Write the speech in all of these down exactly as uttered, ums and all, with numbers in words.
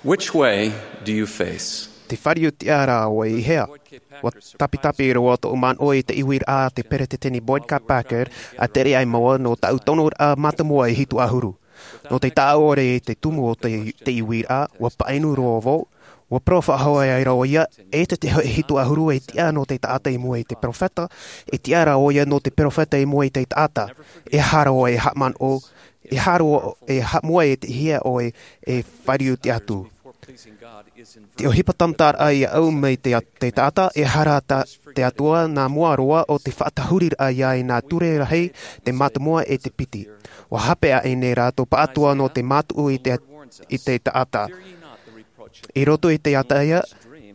Which way do you face? Te fāriu tiʻa ra ʻoe i hea? ʻUa tapitapi roa tōʻu manaʻo i te ʻuiraʻa a te Peretiteni Boyd K. Packer, a tere ai māua nō taʻu tonoraʻa mātāmua e hitu ʻahuru. Nō te taʻa ʻore i te tumu o te, te ʻuiraʻa, ʻua paʻinu roa vau, ʻua parau faʻahou ai ra ʻoia, ʻeita te hōʻē hitu ʻahuru e tiʻa nō te taʻata i mua i te peropheta, e tiʻa ra ʻoia nō te peropheta i mua i te taʻata. E aha ra ʻoe e haʻamanaʻo, e aha ra ʻoe e haʻamoe i te hea ʻoe e fāriu tiʻa atu. Te ʻohipa tāmataraʻa ia ʻau mai te, te taʻata, e aha ra te Atua nā mua roa ʻo te faʻatahuriraʻa ia i nā ture rahi, te mātāmua e te piti. ʻUa hape aʻe nei rātou pāʻatoʻa nō te mātuʻu i te, i te taʻata. I roto i te ataʻaia,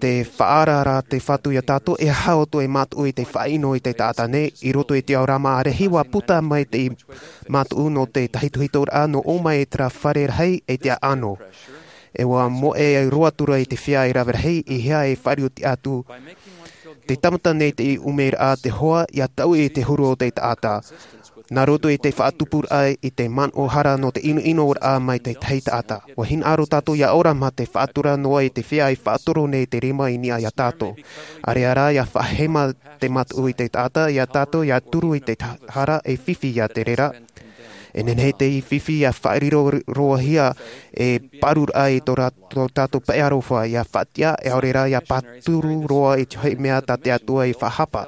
te faʻaara ra te Fatu ia tātou, e aha ʻoutou e mātuʻu i te faʻaʻino i te taʻata nei, i roto i te ao rāma ʻārehi ʻua puta mai te mātuʻu nō te tahitohitoraʻa nō ʻō mai i terā fare rahi e te ʻaʻano. E ʻua moʻe roa atu ra i te feiā e rave rahi, i hea e fāriu tiʻa atu. Te tāmata nei te ʻumeraʻa te hoa, ia taui i te huru o te taʻata. Nā roto i te faʻatupuraʻa i te manaʻo hara nō te ʻinoʻinoraʻa mai te tahi taʻata. ʻUa hinaʻaro tātou ia ora mā te faʻatura noa i te feiā i faʻatoro nei te rima i niʻa ia tātou. ʻAreʻa rā ia faʻahema te mātuʻu i te taʻata, ia tātou ia turu i te ta-, hara e fifi ia te reira. E nehenehe te fifi ia faʻariro roahia e pāruraʻa i tō rā-, tō tātou pae aroha, ia faʻatiʻa, e ʻaore rā ia pāturu roa i te hōʻē mea tā te Atua i faʻahapa.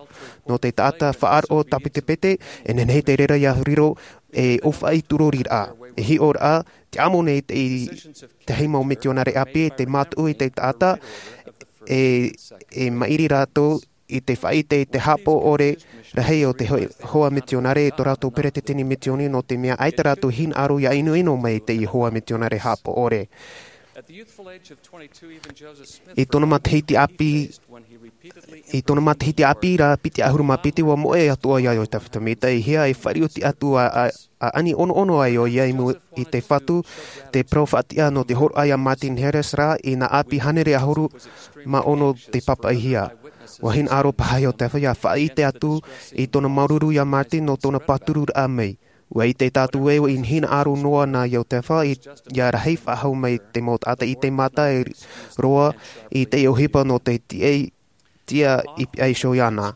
Nō te taʻata faʻaroʻo tāpitepite, e nehenehe te reira ia riro e ʻōfaʻi turoriraʻa. E hiʻoraʻa, te amo nei te, te tahi mau mitionare ʻāpī, te mātuʻu i te taʻata, e, e maʻiri rātou i te faʻaʻite i te haʻapaʻo ʻore rahi o te ho-, hoa mitionare i tō rātou peretiteni mitioni, nō te mea ʻaita rātou hinaʻaro ia ʻinoʻino mai i te hoa mitionare haʻapaʻo ʻore. I tōna matahiti ʻāpī, i tōna matahiti ʻāpī ra piti ʻahuru mā piti, ʻua moʻe atoʻa ia Iosepha Sāmita, i hea e fāriu tiʻa atu a, a, a ani ʻonoʻono ai ʻoia i mua i te Fatu, te parau faʻatiʻa nō te hōroʻa ia Martin Harris rā, i nā ʻāpī hānere ʻahuru mā ono te pāpaʻihia. ʻUa hinaʻaro paha Iosepha ia faʻaʻite atu i tōna māuruuru ia Martin nō tōna pātururaʻa mai. ʻUa ʻite tātou ē, i hinaʻaro noa na Iosepha i, ia rahi faʻahou mai te mau taʻata i te mata e roa i te ʻohipa nō te tiʻa, tiʻa i piha iho iāna.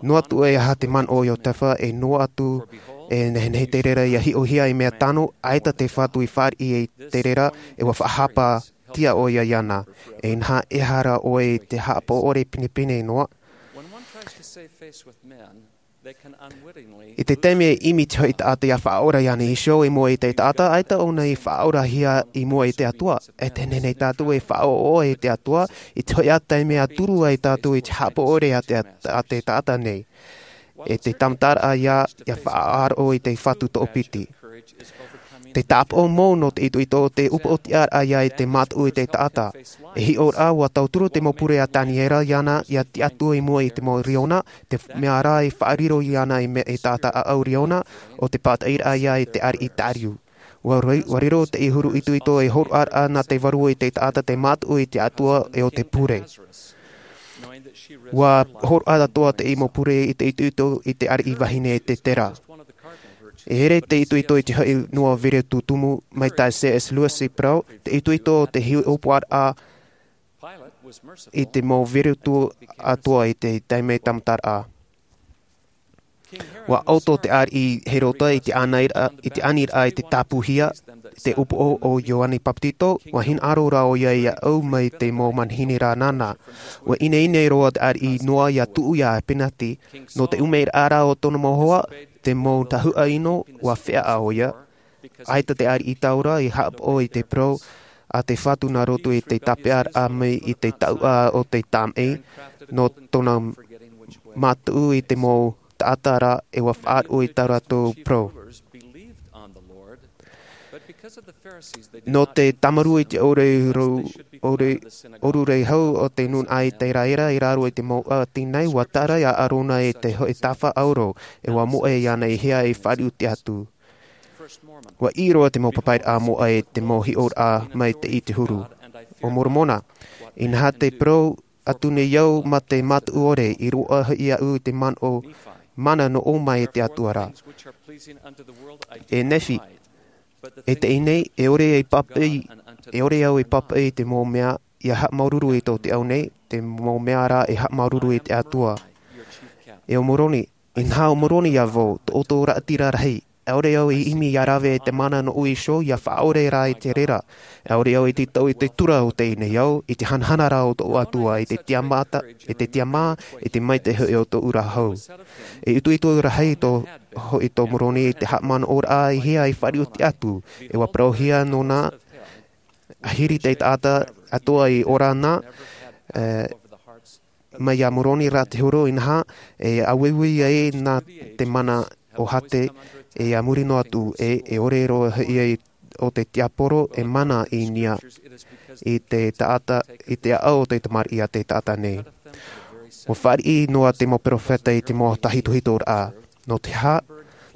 Noa atu e aha te manaʻo o Iosepha, e noa atu, e nehenehe te reira ia hiʻohia i mea tano, ʻaita te Fatu i fāriʻi i te reira, e ʻua faʻahapa tiʻa ʻoia iāna. E inaha, e aha ra ʻoe i te haʻapaʻo ʻore pinepine noa. I te taime e ʻimi te hōʻē taʻata ia faʻaora iāna iho i mua i te taʻata, ʻaita ʻōna i faʻaorahia i mua i te Atua. E te nehenehe tātou e faʻaʻoʻoʻa i te Atua, i te hōʻē taime ʻa turu ai tātou i te haʻapaʻo ʻore a te, a te taʻata nei. E te tāmataraʻa ia, ia faʻaroʻo i te Fatu toʻopiti. Te tāpaʻo mau nō te itoito o te upoʻotiʻaraʻa ia i te mātuʻu i te taʻata. E hiʻoraʻa ʻua tauturu te mau pure a Taniera iāna ia tiʻa atu i mua i te mau riona, te mea rā i faʻariro iāna i mea e taʻata ʻāʻau riona, ʻo te pātaʻiraʻa ia i te ariʻi tāriu. ʻUa roi-, ʻua riro te huru itoito e hōroʻaraʻa nā te vārua i te taʻata te mātuʻu i te Atua e ʻo te pure. ʻUa hōroʻa atoʻa te mau pure i te itoito i te ariʻi vahine e te tera. E ʻere te itoito i te hōʻē noa veretu tumu mai tā C S Lewis i parau, te itoito o te hiʻopoʻaraʻa i te mau veretu atoʻa i te taime tāmataraʻa. ʻUa ʻauto te ariʻi Herota i te ʻaniraʻa, i te aniraʻa i te tāpūhia, te upoʻo o Ioane Papetito, ʻua hinaʻaro rā ʻoia ia ʻau mai te mau manihini rā nāna. ʻUa ineine roa te ariʻi noa ia tuʻu ia Apenati, nō te ʻumeraʻa rā o tōna mau hoa, te mau tahuʻa ʻino, ʻua feʻaʻa ʻoia. ʻAita te ariʻi taura i haʻapaʻo i te parau a te Fatu nā roto i te tāpeʻaraʻa mai i te taʻuʻa o te tamaʻi, nō tōna mātuʻu i te mau taʻata ra e ʻua faʻaroʻo i tā rātou parau. Nō te tāmarū i te ʻōrero, ʻōre-, ʻōrurehau o te nūnaʻa Iteraera i raro i te mau ʻati nei, ʻua tarai a Arona i te hōʻē tafa ʻauro, e ʻua moʻe iāna i hea e fāriu tiʻa atu. ʻUa ʻī roa te mau papairaʻa moʻa e te mau hiʻoraʻa mai te, i te huru. ʻO Moromona, inaha te parau atu nei au mā te mātuʻu ʻore, i roaʻa hoʻi aʻu i te manaʻo, mana nō ʻō mai e te Atua ra. E Nephi, e teie nei, e ʻore e pāpaʻi, E ʻore au e pāpaʻi i te mau mea ia haʻamāuruuru i tō te ao nei, te mau mea rā e haʻamāuruuru i te Atua. E ʻo Moroni, inaha ʻo Moroni ia vau, tō ʻoutou raʻatira rahi. E ʻore au e ʻimi ia rave i te mana nō Iesū, ia faʻaʻore rā i te reira. E ʻore au e tītau i te tura o teie nei ao, i te hanahana rā o tō Atua, i te tiamata, i te tiamā, i te maitaʻi hoʻi o tō ʻu ra hau. E ʻitoʻito rahi tō, hoʻi tō Moroni i te haʻamanaʻoraʻa i hea i fāriʻi atu, e ʻua parauhia nōna, ʻahiri te taʻata atoʻa i ora na, e, mai ia Moroni rā te huru inaha, e ʻāueue ai nā te mana o Hate, e a muri noa atu, e, e ʻore roa hoʻi ai ʻo te tiaporo e mana i niʻa, i te taʻata, i te ʻaʻau o te tamariʻi a te taʻata nei. ʻUa fāriʻi noa te mau peropheta i te mau tahitohitoraʻa. Nō te aha,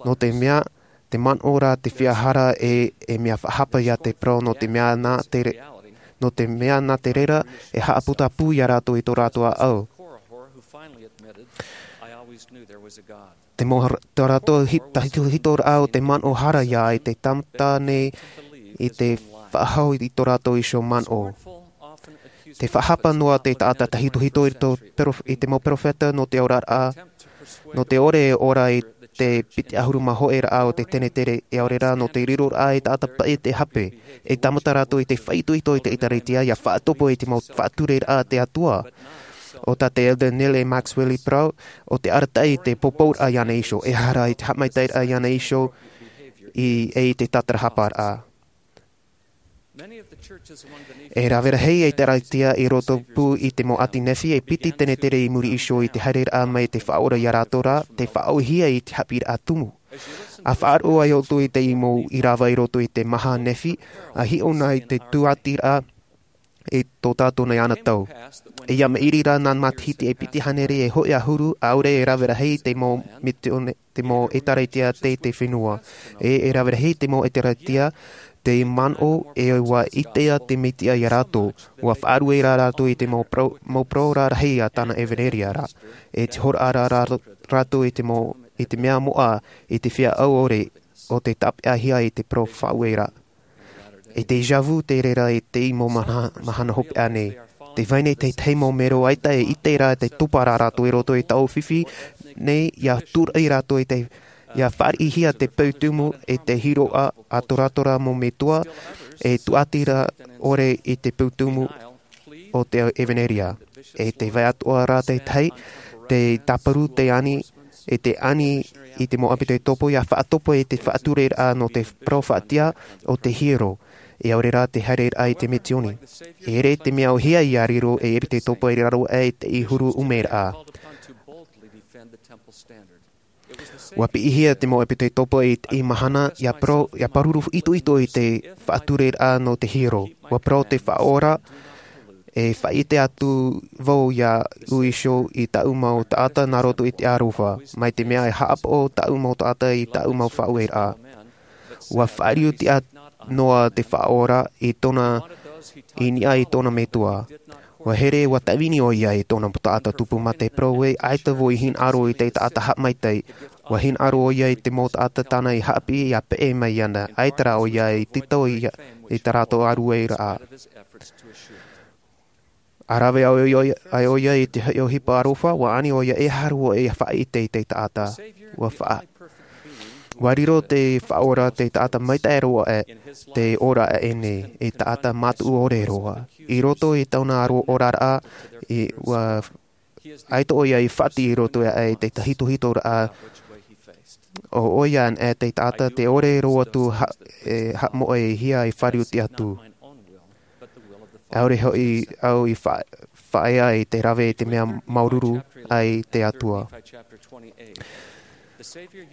nō te mea, te manaʻo rā te feiā hara e, e mea faʻahapa ia te parau nō te mea nā te re-, nō te mea nā te reira e haʻaputapū ia rātou i tō rātou ʻaʻau. Te mau har-, tō rātou hi-, tahitohitoraʻa o te manaʻo hara ia i te tāmata nei i te faʻahou i tō rātou iho manaʻo. Te faʻahapa noa te taʻata tahitohito i tō perof-, i te mau peropheta nō te oraraʻa, nō te ʻore e ora i te piti ʻahuru mā hōʻē raʻa o te tenetere, e ʻaore rā nō te riroraʻa i taʻata paʻi te hape, e tāmata rātou i te faʻaitoito i te ʻĒtārētia, ia faʻatupu i te mau faʻatureraʻa a te Atua. ʻO tā te Elder Neal A. Maxwell i parau, ʻo te arataʻi i te pōpouraʻa iāna iho, e aha rā i te haʻamaitaʻiraʻa iāna iho, i, e i te tātarahaparaʻa. E rave rahi ʻĒtārētia i roto pū i te mau ʻāti Nephi e piti tenetere i muri iho i te haereraʻa mai te Faʻaora ia rātou ra, tei faʻaʻōhie i te haʻapiʻiraʻa tumu. ʻA faʻaroʻo ai ʻoutou i te mau ʻīrava i roto i te maha Nephi, ʻa hiʻo na i te tūʻatiraʻa i tō tātou nei anotau. E ia maʻiri rā nā matahiti e piti hānere e hōʻē ʻahuru, ʻaore e rave rahi te mau misiōni, te mau ʻĒtārētia tei te fenua. E, e rave rahi te mau ʻĒtārētia tei manaʻo ē ʻua ʻite te Mesia ia rātou. ʻUa faʻaruʻe rā rātou i te mau parau, mau parau rarahi a tāna ʻevaneria ra. E te hōroʻa rā rā-, rātou i te mau, i te mea moʻa, i te feiā ʻaore, ʻo tei tāpeʻahia i te parau faʻaueraʻa. E te déjà vu te reira i te mau mahana, mahana hopeʻa nei. Tē vai nei te tahi mau mero ʻaita e ʻite ra te topa rā rātou i roto i taua fifi nei, ʻia tūraʻi rātou i te, ʻia fāriʻihia te peu tumu e te hiroʻa a tō rātou ra mau metua, e tūʻatira ʻore i te peu tumu o te ʻevaneria. E tē vai atoʻa ra te tahi, tei tāparu te ani, e te ani i te mau ʻepitekopo ʻia faʻatupu i te faʻatureraʻa nō te parau faʻatiʻa o te hiero, e ʻaore rā te haereraʻa i te misiōni. E ʻere te mea ʻōhie ʻia riro ei ʻepitekopo i raro aʻe i te huru ʻumeraʻa. ʻUa piʻihia te mau ʻepitekopo i te mahana, ʻia parau, ʻia pāruru itoito i te faʻatureraʻa nō te hiero. ʻUa parau te Faʻaora, e faʻaʻite atu vau iāʻu iho i tāʻu mau taʻata nā roto i te aroha, mai te mea e haʻapaʻo tāʻu mau taʻata i tāʻu mau faʻaueraʻa. ʻUa faʻariʻi tiʻa noa te Faʻaora i tōna, i niʻa i tōna metua. ʻUa here, ʻua tāvini ʻoia i tōna mau taʻata tupu mā te parau ē, ʻaita vau i hinaʻaro i te taʻata haʻamaitaʻi. ʻUa hinaʻaro ʻoia i te mau taʻata tāna i haʻapiʻi ʻia peʻe mai iāna. ʻAita rā ʻoia i tītau i, i tā rātou ʻārueraʻa. ʻA rave ʻoia, ʻoia, ʻoia i te ʻohipa aroha, ʻua ani ʻoia e aha roa e faʻaʻite i te taʻata. ʻUa fa-, ʻua riro te Faʻaora te taʻata maitaʻi roa aʻe, te ora aʻe nei, e taʻata mātuʻu ʻore roa. I roto i tāna aro oraraʻa, i, ʻua, ʻaita ʻoia i faʻati i roto aʻe i te tahitohitoraʻa, ʻo ʻoia anaʻe te taʻata tē ʻore roa atu ha-, e haʻamoʻehia e fāriʻi atu. ʻAore hoʻi au i fa-, faʻaea i te rave i te mea māuruuru ai te Atua.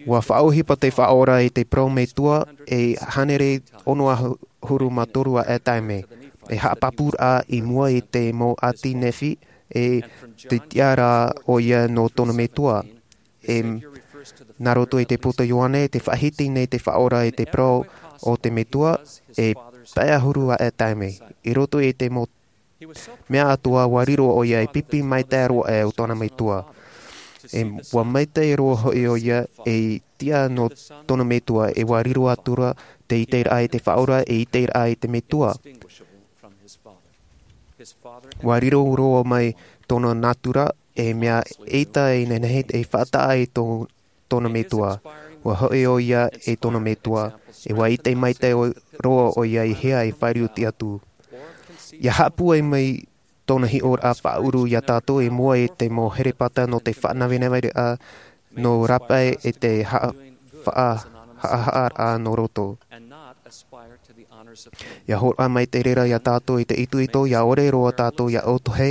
ʻUa faʻaʻohipa te Faʻaora i te parau metua e hānere ono ʻahuru mā toru aʻe taime. E haʻapāpūraʻa i mua i te mau ʻāti Nephi, e te tiʻa rā ʻoia nō tōna metua. E, nā roto i te puta Ioane, tē faʻahiti nei te Faʻaora i te parau o te metua, e pae ʻahuru aʻe taime. I roto i te mau mea atoʻa ʻua riro ʻoia e pipi maitaʻi roa aʻe o tōna metua. E ʻua maitaʻi roa hoʻi ʻoia ei tiʻa nō tōna metua, e ʻua riro atu ra te ʻiteraʻa i te Faʻaora, e ʻiteraʻa i te metua. Ua riro roa mai tōna natura e mea ʻeita e nehenehe e faʻataʻa i tō tōna metua. Ua hoʻi ʻo ia e tōna metua, e ua ʻite maitaʻi roa ʻo ia i hea e fāriu atu. Ia haʻapūai mai tōna hiʻoraʻa faʻaʻuru iā tātou i mua i te mau herepata nō te faʻanavenaveraʻa, nō rāpae e te haʻa-, faʻa-, haʻahaʻaraʻa nō roto. Ia hōroʻa mai te reira iā tātou i te itoito, ia ʻore roa tātou ia ʻōtohe,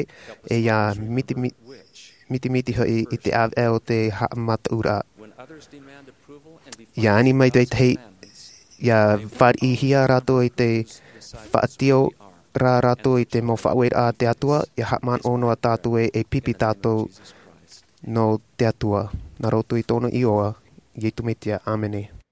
e ia mitimiti, mitimiti hoʻi i te ʻāvaʻe o te haʻamataʻuraʻa. Ia ani mai te tahi, ia fāriʻihia rātou i te faʻatio rā rātou i te mau faʻaueraʻa a te Atua, ia haʻamanaʻo noa tātou e, e pipi tātou nō te Atua. Nā roto i tōna iʻoa, Iesu Mesia, ʻāmene.